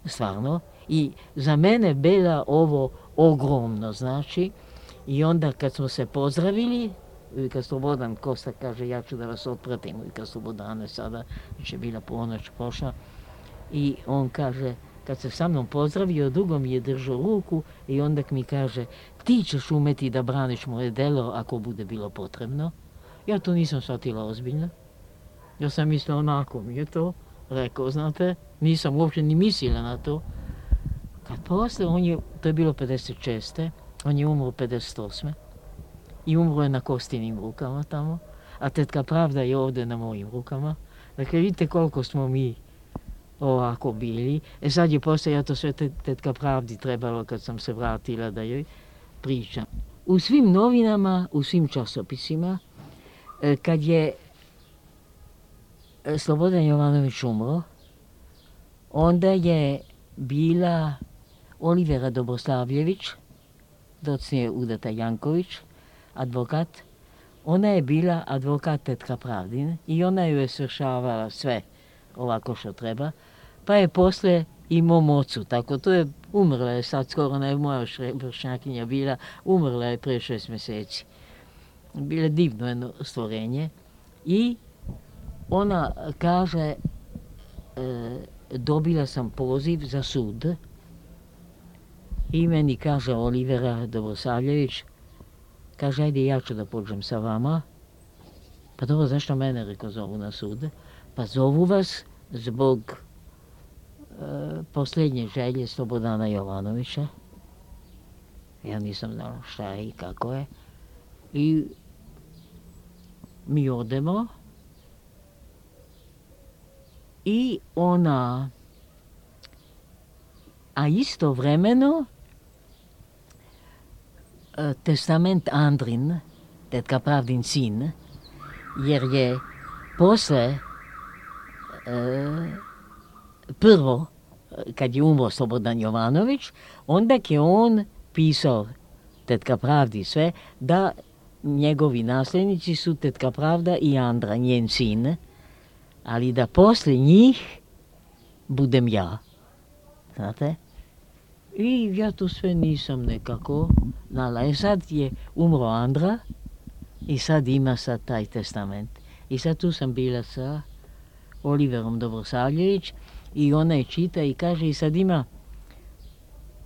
stvarno. I za mene bila ovo ogromno, znači. I onda kad smo se pozdravili, Vika Slobodan Kosta kaže, ja ću da vas otpratim, Vika Slobodane, sada će bila ponoć prošla. I on kaže, kad se sa mnom pozdravio, dugo mi je držao ruku i onda mi kaže, ti ćeš umeti da braniš moje delo ako bude bilo potrebno. Ja to nisam shvatila ozbiljno. Ja sam mislila, onako mi je to rekao, znate, nisam uopće ni mislila na to. Kad posle, to je bilo 56. On je umro 58. I umro je na Kostinim rukama tamo, a tetka Pravda je ovdje na mojim rukama. Dakle, vidite koliko smo mi ovako bili. Sad je posle, ja to sve tetka Pravdi trebalo kad sam se vratila da joj pričam. U svim novinama, u svim časopisima, kad je Slobodan Jovanović umro, onda je bila Olivera Dobroslavljević, docnije Udata Janković, advokat. Ona je bila advokat tetka Pravdine i ona ju je svršavala sve ovako što treba. Pa je posle i mom ocu, tako to je, umrla je sad skoro, ne moja vršnjakinja bila, umrla je prije 6 mjeseci. Bilo divno jedno stvorenje i ona kaže, dobila sam poziv za sud i meni kaže Olivera Dobrosavljević, kaže, ajde ja ću da pođem sa vama. Pa dobro, zašto mene, reko, zovu na sud? Pa zovu vas zbog posljednje želje Slobodana Jovanovića. Ja nisam znala šta je i kako je. I mi odemo i ona, a istovremeno testament Andrin, tetka Pravdin sin, jer je posle prvo, kad je umro Slobodan Jovanović, onda je on pisao tetka Pravdi sve, da njegovi nasljednici su tetka Pravda i Andra, njen sin, ali da posle njih budem ja. Znate? I ja to sve nisam nekako znala. I sad je umro Andra i sad ima sad taj testament. I sad tu sam bila sa Oliverom Dobrosavljević i ona je čita i kaže i sad ima,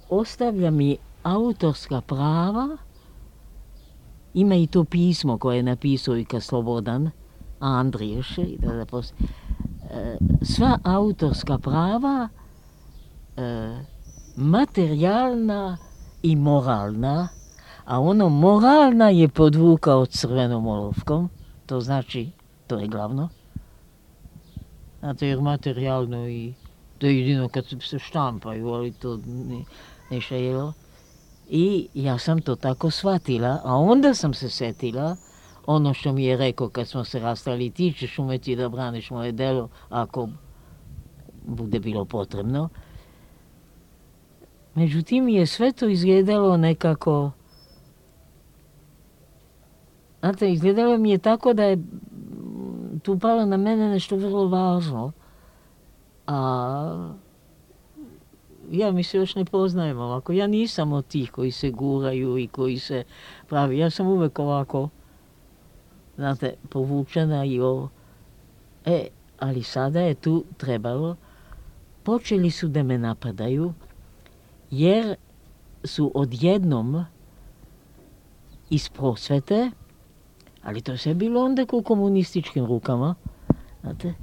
ostavlja mi autorska prava, ima i to pismo koje je napisao i ka Slobodan, Andriješ, sva autorska prava, materijalna i moralna, a ono moralna je podvukao crvenom olovkom, to znači, to je glavno. Znate, jer materijalno i to je jedino kad se štampaju, ali to ne šejelo. I ja sam to tako shvatila, a onda sam se setila ono što mi je rekao kad smo se rastali, ti ćeš umeti da braniš moje delo ako bude bilo potrebno. Međutim, je sve to izgledalo nekako, znate, izgledalo mi je tako da je tu palo na mene nešto vrlo važno, a ja mi se još ne poznajem ovako. Ja nisam od tih koji se guraju i koji se pravi. Ja sam uvek ovako, znate, povučena i ovo. Ali sada je tu trebalo, počeli su da me napadaju, jer su odjednom iz prosvete, ali to sve bilo onda u komunističkim rukama, znate,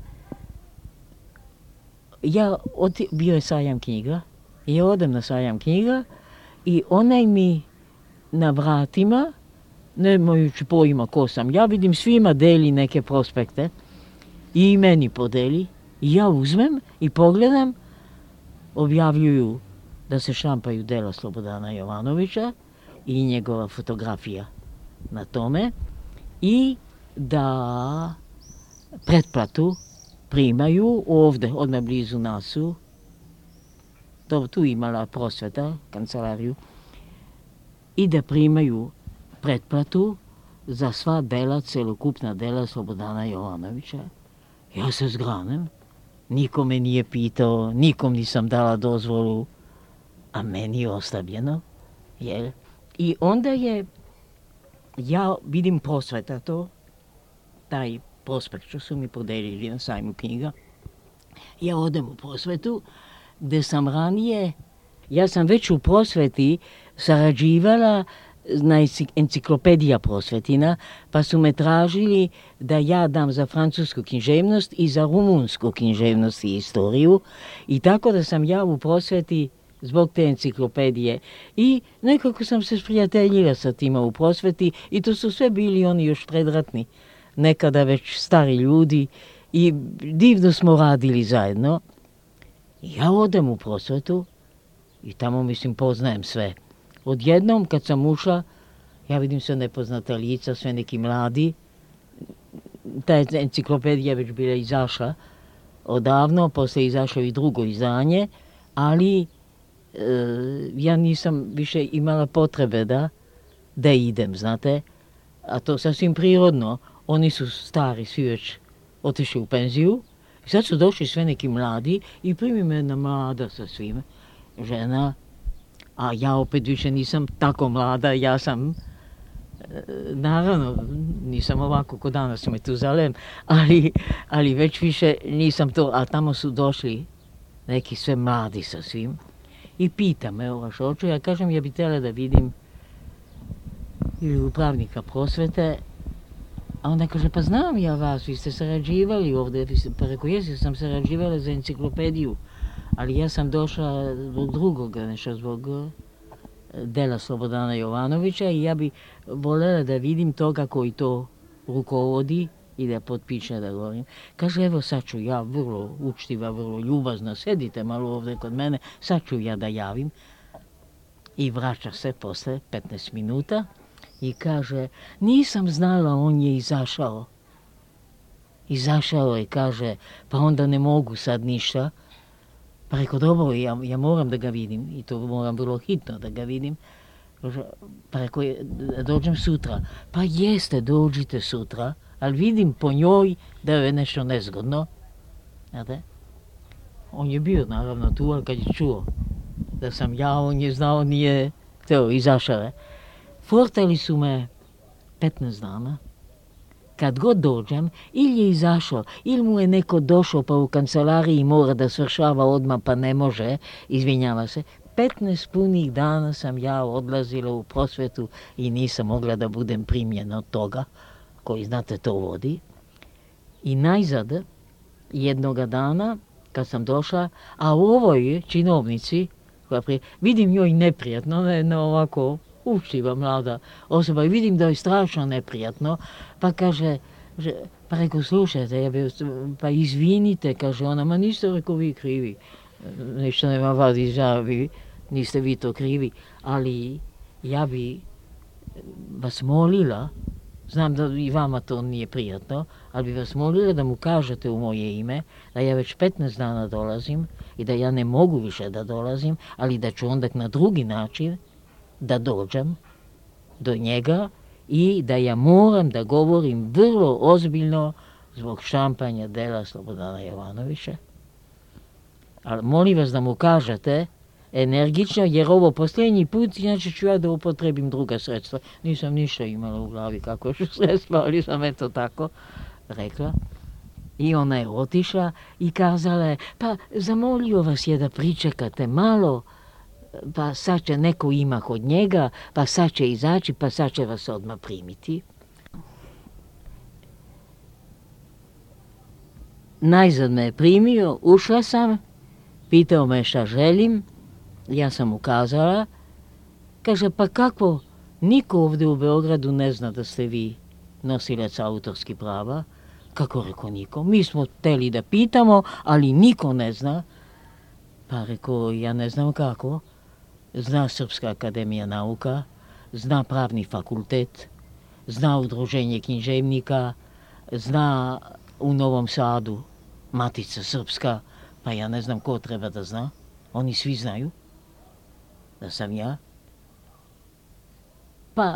bio je sajam knjiga, ja odem na sajam knjiga i onaj mi na vratima, nemajući pojma ko sam, ja vidim svima deli neke prospekte i meni podeli, i ja uzmem i pogledam, objavljuju da se štampaju dela Slobodana Jovanovića i njegova fotografija na tome i da pretplatu primaju ovdje, odmah blizu nasu, tu imala prosveta, kancelariju, i da primaju pretplatu za sva dela, celokupna dela Slobodana Jovanovića. Ja se zgranem niko me nije pitao, nikom nisam dala dozvolu, a meni je ostavljeno. Jel? I onda ja vidim prosveta to, taj prospekt što su mi podelili na sajmu knjiga. Ja odem u prosvetu, gde sam ranije, ja sam već u prosveti sarađivala na enciklopedija prosvetina, pa su me tražili da ja dam za francusku književnost i za rumunsku književnost i istoriju. I tako da sam ja u prosveti zbog te enciklopedije. I nekako sam se sprijateljila sa tima u prosveti i to su sve bili oni još predratni, nekada već stari ljudi i divno smo radili zajedno. Ja odem u prosvetu i tamo, mislim, poznajem sve. Odjednom, kad sam ušla, ja vidim sve nepoznata lica, sve neki mladi. Ta enciklopedija već bila izašla odavno, posle izašlo i drugo izdanje, ali ja nisam više imala potrebe da idem, znate. A to sasvim prirodno. Oni su stari, svi već otišli u penziju. I sad su došli sve neki mladi i primi me jedna mlada sa svime, žena. A ja opet više nisam tako mlada, ja sam, naravno, nisam ovako ko danas u Metuzalem, ali već više nisam to, a tamo su došli neki sve mladi sa svim. I pita me ova šočo, ja kažem, ja bi htjela da vidim ili upravnika prosvete, a onda kaže, pa znam ja vas, vi ste sarađivali ovdje, pa rekao, jesi, sam sarađivala za enciklopediju, ali ja sam došla zbog drugoga, nešto zbog dela Slobodana Jovanovića i ja bi voljela da vidim toga koji to rukovodi i da potpiše da govorim. Kaže, evo sad ću ja, vrlo učtiva, vrlo ljubazna, sedite malo ovdje kod mene, sad ću ja da javim. I vraća se posle 15 minuta i kaže, nisam znala, on je izašao. Izašao je, kaže, pa onda ne mogu sad ništa. Pa rekao, dobro, ja moram da ga vidim i to moram vrlo hitno da ga vidim. Pa rekao, dođem sutra. Pa jeste, dođite sutra, ali vidim po njoj da je nešto nezgodno. Znate? On je bio naravno tu, ali kad je čuo da sam ja, on je znao, nije to, izašao je. Fortali su me 15 dana. Kad god dođem, ili je izašao, ili mu je neko došao pa u kancelariji mora da svršava odmah pa ne može, izvinjava se. 15 punih dana sam ja odlazila u prosvetu i nisam mogla da budem primljena od toga, koji znate to vodi. I najzad, jednoga dana, kad sam došla, a u ovoj činovnici, vidim njoj neprijatno, ne ovako učtiva mlada osoba i vidim da je strašno neprijatno, pa kaže, pa rekao, slušajte, pa izvinite, kaže ona, ma niste, rekao, vi krivi, ništa nema vadi žavi, niste vi to krivi, ali ja bi vas molila, znam da i vama to nije prijatno, ali bi vas molila da mu kažete u moje ime da ja već 15 dana dolazim i da ja ne mogu više da dolazim, ali da ću onda na drugi način da dođem do njega i da ja moram da govorim vrlo ozbiljno zbog štampanja dela Slobodana Jovanovića. Ali molim vas da mu kažete energično, jer ovo posljednji put, inače ću ja da upotrebim druga sredstva. Nisam ništa imala u glavi kako ću sredstva, ali sam eto tako rekla. I ona je otišla i kazala je, pa zamolio vas je da pričekate malo, pa sad će neko ima kod njega, pa sad će izaći, pa sad će vas odmah primiti. Najzad me je primio, ušla sam, pitao me šta želim, ja sam ukazala, kaže, pa kako, niko ovdje u Beogradu ne zna da ste vi nosilac autorskih prava. Kako, rekao, niko, mi smo hteli da pitamo, ali niko ne zna. Pa rekao, ja ne znam kako. Zna Srpska akademija nauka, zna Pravni fakultet, zna Udruženje književnika, zna u Novom Sadu Matica Srpska, pa ja ne znam ko treba da zna. Oni svi znaju da sam ja. Pa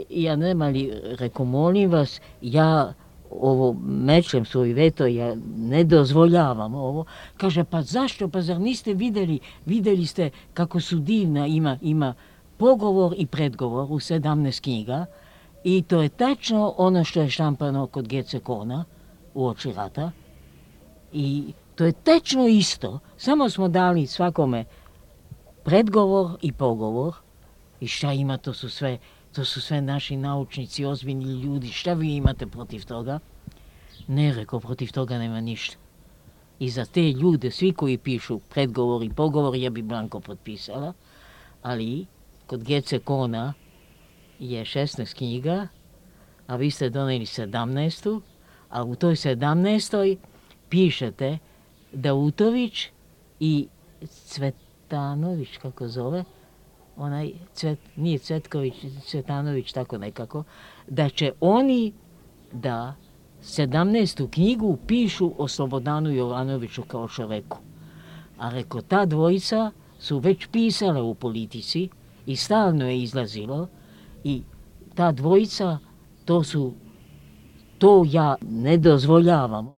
ja nema li, rekao, molim vas, ja ovo mečem svoj veto, ja ne dozvoljavam ovo. Kaže, pa zašto, pa zar niste vidjeli ste kako su divna, ima pogovor i predgovor u 17 knjiga i to je tačno ono što je štampano kod Gecekona uoči rata i to je tačno isto, samo smo dali svakome predgovor i pogovor i šta ima, to su sve naši naučnici, ozbiljni ljudi, šta vi imate protiv toga? Ne, rekao, protiv toga nema ništa. I za te ljude, svi koji pišu predgovor i pogovor, ja bi blanko potpisala, ali kod Gecekona je 16 knjiga, a vi ste doneli 17. A u toj 17. pišete Dautović i Cvetanović, kako zove, nije Cvetković, Cvetanović, tako nekako, da će oni da 17. knjigu pišu o Slobodanu Jovanoviću kao čoveku. A reko, ta dvojica su već pisale u Politici i stalno je izlazilo i ta dvojica, to ja ne dozvoljavam.